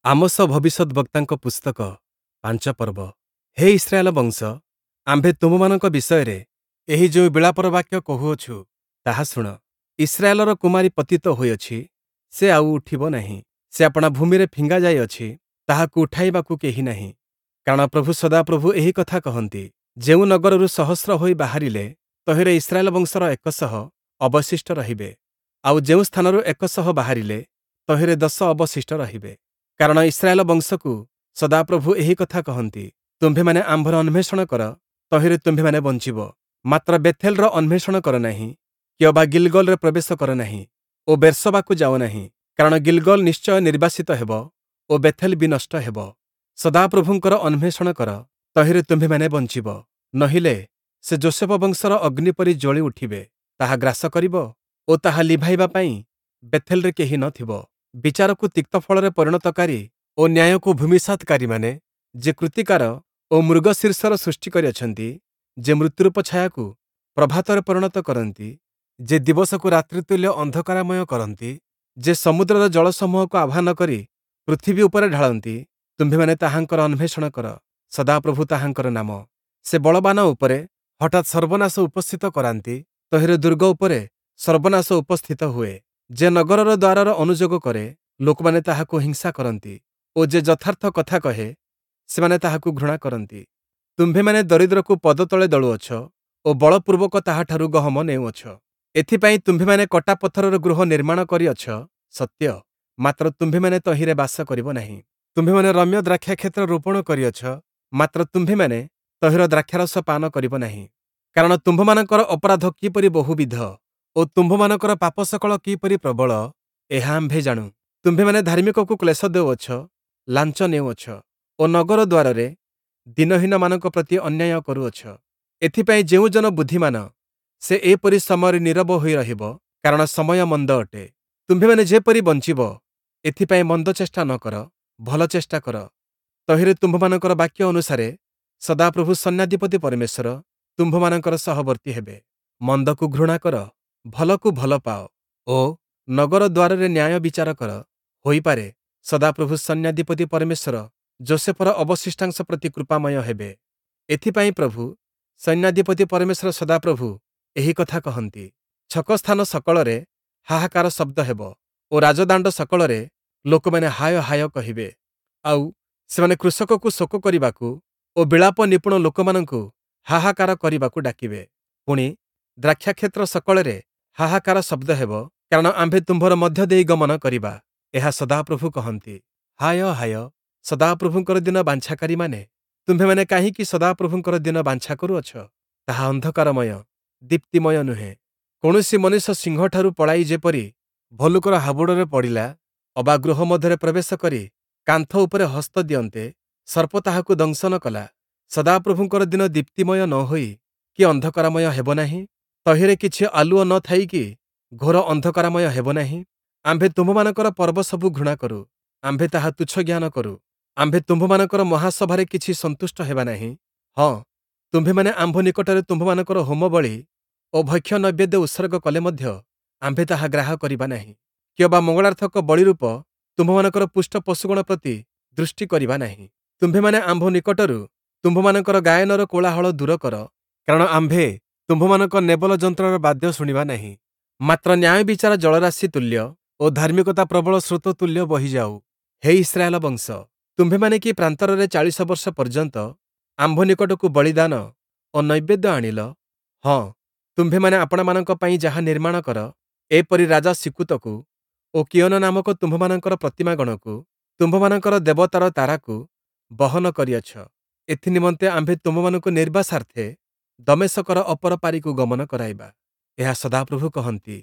Amos ଭବିଷ୍ୟଦ୍‌ବକ୍ତାଙ୍କ ପୁସ୍ତକ 5 ପର୍ବ। ହେ Israel ବଂଶ, ଆମ୍ଭେ ତୁମ୍ଭମାନଙ୍କ ବିଷୟରେ ଏହି ଯେଉଁ ବିଳାପର ବାକ୍ୟ କହୁଅଛୁ, ତାହା ଶୁଣ। ଇସ୍ରାଏଲର କୁମାରୀ ପତିତ ହୋଇଅଛି, ସେ ଆଉ ଉଠିବ ନାହିଁ। ସେ ଆପଣା ଭୂମିରେ ଫିଙ୍ଗା ଯାଇଅଛି, ତାହାକୁ ଉଠାଇବାକୁ କେହି ନାହିଁ। କାରଣ ପ୍ରଭୁ ସଦାପ୍ରଭୁ ଏହି କଥା କହନ୍ତି, ଯେଉଁ ନଗରରୁ ସହସ୍ର ହୋଇ ବାହାରିଲେ, ତହିଁରେ ଇସ୍ରାଏଲ ବଂଶର 100 ଅବଶିଷ୍ଟ ରହିବେ, ଆଉ ଯେଉଁ ସ୍ଥାନରୁ 100 ବାହାରିଲେ, ତହିଁରେ 10 ଅବଶିଷ୍ଟ ରହିବେ। କାରଣ ଇସ୍ରାଏଲ ବଂଶକୁ ସଦାପ୍ରଭୁ ଏହି କଥା କହନ୍ତି, ତୁମ୍ଭେମାନେ ଆମ୍ଭର ଅନ୍ୱେଷଣ କର, ତହିଁରେ ତୁମ୍ଭେମାନେ ବଞ୍ଚିବ। ମାତ୍ର ବେଥେଲର ଅନ୍ୱେଷଣ କର ନାହିଁ, କିଅବା ଗିଲଗଲରେ ପ୍ରବେଶ କର ନାହିଁ ଓ ବେର୍ଶବାକୁ ଯାଅ ନାହିଁ, କାରଣ ଗିଲଗଲ ନିଶ୍ଚୟ ନିର୍ବାସିତ ହେବ ଓ ବେଥେଲ ବିନଷ୍ଟ ହେବ। ସଦାପ୍ରଭୁଙ୍କର ଅନ୍ୱେଷଣ କର, ତହିଁରେ ତୁମ୍ଭେମାନେ ବଞ୍ଚିବ। ନହିଲେ ସେ ଯୋଷେଫ ବଂଶର ଅଗ୍ନି ପରି ଜ୍ୱଳି ଉଠିବେ, ତାହା ଗ୍ରାସ କରିବ ଓ ତାହା ଲିଭାଇବା ପାଇଁ ବେଥେଲରେ କେହି ନ ଥିବ। ବିଚାରକୁ ତିକ୍ତ ଫଳରେ ପରିଣତକାରୀ ଓ ନ୍ୟାୟକୁ ଭୂମିସାତକାରୀମାନେ, ଯେ କୃତ୍ତିକାର ଓ ମୃଗଶୀର୍ଷର ସୃଷ୍ଟି କରିଅଛନ୍ତି, ଯେ ମୃତ୍ୟୁରୂପ ଛାୟାକୁ ପ୍ରଭାତରେ ପରିଣତ କରନ୍ତି, ଯେ ଦିବସକୁ ରାତ୍ରିତୁଲ୍ୟ ଅନ୍ଧକାରମୟ କରନ୍ତି, ଯେ ସମୁଦ୍ରର ଜଳସମୂହକୁ ଆହ୍ୱାନ କରି ପୃଥିବୀ ଉପରେ ଢାଳନ୍ତି, ତୁମ୍ଭେମାନେ ତାହାଙ୍କର ଅନ୍ୱେଷଣ କର। ସଦାପ୍ରଭୁ ତାହାଙ୍କର ନାମ। ସେ ବଳବାନ ଉପରେ ହଠାତ୍ ସର୍ବନାଶ ଉପସ୍ଥିତ କରାନ୍ତି, ତହିଁରେ ଦୁର୍ଗ ଉପରେ ସର୍ବନାଶ ଉପସ୍ଥିତ ହୁଏ। ଯେ ନଗରର ଦ୍ୱାରର ଅନୁଯୋଗ କରେ, ଲୋକମାନେ ତାହାକୁ ହିଂସା କରନ୍ତି ଓ ଯେ ଯଥାର୍ଥ କଥା କହେ, ସେମାନେ ତାହାକୁ ଘୃଣା କରନ୍ତି। ତୁମ୍ଭେମାନେ ଦରିଦ୍ରକୁ ପଦତଳେ ଦଳୁଅଛ ଓ ବଳପୂର୍ବକ ତାହାଠାରୁ ଗହମ ନେଉଅଛ। ଏଥିପାଇଁ ତୁମ୍ଭେମାନେ କଟା ପଥରର ଗୃହ ନିର୍ମାଣ କରିଅଛ ସତ୍ୟ, ମାତ୍ର ତୁମ୍ଭେମାନେ ତହିଁରେ ବାସ କରିବ ନାହିଁ। ତୁମ୍ଭେମାନେ ରମ୍ୟ ଦ୍ରାକ୍ଷାକ୍ଷେତ୍ର ରୋପଣ କରିଅଛ, ମାତ୍ର ତୁମ୍ଭେମାନେ ତହିଁର ଦ୍ରାକ୍ଷାରସ ପାନ କରିବ ନାହିଁ। କାରଣ ତୁମ୍ଭମାନଙ୍କର ଅପରାଧ କିପରି ବହୁବିଧ ଓ ତୁମ୍ଭମାନଙ୍କର ପାପ ସକଳ କିପରି ପ୍ରବଳ, ଏହା ଆମ୍ଭେ ଜାଣୁ। ତୁମ୍ଭେମାନେ ଧାର୍ମିକକୁ କ୍ଲେଶ ଦେଉଅଛ, ଲାଞ୍ଚ ନେଉଅଛ ଓ ନଗର ଦ୍ୱାରରେ ଦୀନହୀନମାନଙ୍କ ପ୍ରତି ଅନ୍ୟାୟ କରୁଅଛ। ଏଥିପାଇଁ ଯେଉଁ ଜନ ବୁଦ୍ଧିମାନ, ସେ ଏପରି ସମୟରେ ନୀରବ ହୋଇ ରହିବ, କାରଣ ସମୟ ମନ୍ଦ ଅଟେ। ତୁମ୍ଭେମାନେ ଯେପରି ବଞ୍ଚିବ, ଏଥିପାଇଁ ମନ୍ଦ ଚେଷ୍ଟା ନ କର, ଭଲ ଚେଷ୍ଟା କର। ତହିଁରେ ତୁମ୍ଭମାନଙ୍କର ବାକ୍ୟ ଅନୁସାରେ ସଦାପ୍ରଭୁ ସୈନ୍ୟାଧିପତି ପରମେଶ୍ୱର ତୁମ୍ଭମାନଙ୍କର ସହବର୍ତ୍ତୀ ହେବେ। ମନ୍ଦକୁ ଘୃଣା କର, ଭଲକୁ ଭଲ ପାଅ ଓ ନଗର ଦ୍ୱାରରେ ନ୍ୟାୟ ବିଚାର କର। ହୋଇପାରେ, ସଦାପ୍ରଭୁ ସୈନ୍ୟାଧିପତି ପରମେଶ୍ୱର ଯୋଷେଫର ଅବଶିଷ୍ଟାଂଶ ପ୍ରତି କୃପାମୟ ହେବେ। ଏଥିପାଇଁ ପ୍ରଭୁ ସୈନ୍ୟାଧିପତି ପରମେଶ୍ୱର ସଦାପ୍ରଭୁ ଏହି କଥା କହନ୍ତି, ଛକସ୍ଥାନ ସକଳରେ ହାହାକାର ଶବ୍ଦ ହେବ ଓ ରାଜଦାଣ୍ଡ ସକଳରେ ଲୋକମାନେ ହାୟ ହାୟ କହିବେ। ଆଉ ସେମାନେ କୃଷକକୁ ଶୋକ କରିବାକୁ ଓ ବିଳାପ ନିପୁଣ ଲୋକମାନଙ୍କୁ ହାହାକାର କରିବାକୁ ଡାକିବେ। ପୁଣି ଦ୍ରାକ୍ଷାକ୍ଷେତ୍ର ସକଳରେ ହାହାକାର ଶବ୍ଦ ହେବ, କାରଣ ଆମ୍ଭେ ତୁମ୍ଭର ମଧ୍ୟ ଦେଇ ଗମନ କରିବା, ଏହା ସଦାପ୍ରଭୁ କହନ୍ତି। ହାୟ ହାୟ, ସଦାପ୍ରଭୁଙ୍କର ଦିନ ବାଞ୍ଛାକାରୀମାନେ, ତୁମ୍ଭେମାନେ କାହିଁକି ସଦାପ୍ରଭୁଙ୍କର ଦିନ ବାଞ୍ଛା କରୁଅଛ? ତାହା ଅନ୍ଧକାରମୟ, ଦୀପ୍ତିମୟ ନୁହେଁ। କୌଣସି ମନୁଷ୍ୟ ସିଂହଠାରୁ ପଳାଇ ଯେପରି ଭଲ୍ଲୁକର ହାବୁଡ଼ରେ ପଡ଼ିଲା, ଅବା ଗୃହ ମଧ୍ୟରେ ପ୍ରବେଶ କରି କାନ୍ଥ ଉପରେ ହସ୍ତ ଦିଅନ୍ତେ ସର୍ପ ତାହାକୁ ଦଂଶନ କଲା, ସଦାପ୍ରଭୁଙ୍କର ଦିନ ଦୀପ୍ତିମୟ ନ ହୋଇ କି ଅନ୍ଧକାରମୟ ହେବ ନାହିଁ? ତହିଁରେ କିଛି ଆଲୁଅ ନ ଥାଇ କି ଘୋର ଅନ୍ଧକାରମୟ ହେବ ନାହିଁ? ଆମ୍ଭେ ତୁମ୍ଭମାନଙ୍କର ପର୍ବ ସବୁ ଘୃଣା କରୁ, ଆମ୍ଭେ ତାହା ତୁଚ୍ଛ ଜ୍ଞାନ କରୁ। ଆମ୍ଭେ ତୁମ୍ଭମାନଙ୍କର ମହାସଭାରେ କିଛି ସନ୍ତୁଷ୍ଟ ହେବା ନାହିଁ। ହଁ, ତୁମ୍ଭେମାନେ ଆମ୍ଭ ନିକଟରେ ତୁମ୍ଭମାନଙ୍କର ହୋମବଳି ଓ ଭକ୍ଷ୍ୟ ନୈବେଦ୍ୟ ଉତ୍ସର୍ଗ କଲେ ମଧ୍ୟ ଆମ୍ଭେ ତାହା ଗ୍ରାହ୍ୟ କରିବା ନାହିଁ, କିଅବା ମଙ୍ଗଳାର୍ଥକ ବଳିରୂପ ତୁମ୍ଭମାନଙ୍କର ପୁଷ୍ଟ ପଶୁଗଣ ପ୍ରତି ଦୃଷ୍ଟି କରିବା ନାହିଁ। ତୁମ୍ଭେମାନେ ଆମ୍ଭ ନିକଟରୁ ତୁମ୍ଭମାନଙ୍କର ଗାୟନର କୋଳାହଳ ଦୂର କର, କାରଣ ଆମ୍ଭେ ତୁମ୍ଭମାନଙ୍କ ନେବଲ ଯନ୍ତ୍ରର ବାଦ୍ୟ ଶୁଣିବା ନାହିଁ। ମାତ୍ର ନ୍ୟାୟ ବିଚାର ଜଳରାଶି ତୁଲ୍ୟ ଓ ଧାର୍ମିକତା ପ୍ରବଳ ସ୍ରୋତ ତୁଲ୍ୟ ବହିଯାଉ। ହେ ଇସ୍ରାଏଲ ବଂଶ, ତୁମ୍ଭେମାନେ କି ପ୍ରାନ୍ତରରେ 40 ବର୍ଷ ପର୍ଯ୍ୟନ୍ତ ଆମ୍ଭ ନିକଟକୁ ବଳିଦାନ ଓ ନୈବେଦ୍ୟ ଆଣିଲ? ହଁ, ତୁମ୍ଭେମାନେ ଆପଣାମାନଙ୍କ ପାଇଁ ଯାହା ନିର୍ମାଣ କର, ଏପରି ରାଜା ସିକୁତକୁ ଓ କିୟୋନ ନାମକ ତୁମ୍ଭମାନଙ୍କର ପ୍ରତିମାଗଣକୁ, ତୁମ୍ଭମାନଙ୍କର ଦେବତାର ତାରାକୁ ବହନ କରିଅଛ। ଏଥିନିମନ୍ତେ ଆମ୍ଭେ ତୁମ୍ଭମାନଙ୍କୁ ନିର୍ବାସାର୍ଥେ ଦମେଶକର ଅପର ପାରିକୁ ଗମନ କରାଇବା। ଏହା ସଦାପ୍ରଭୁ କହନ୍ତି,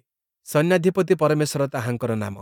ସୈନ୍ୟାଧିପତି ପରମେଶ୍ୱର ତାହାଙ୍କର ନାମ।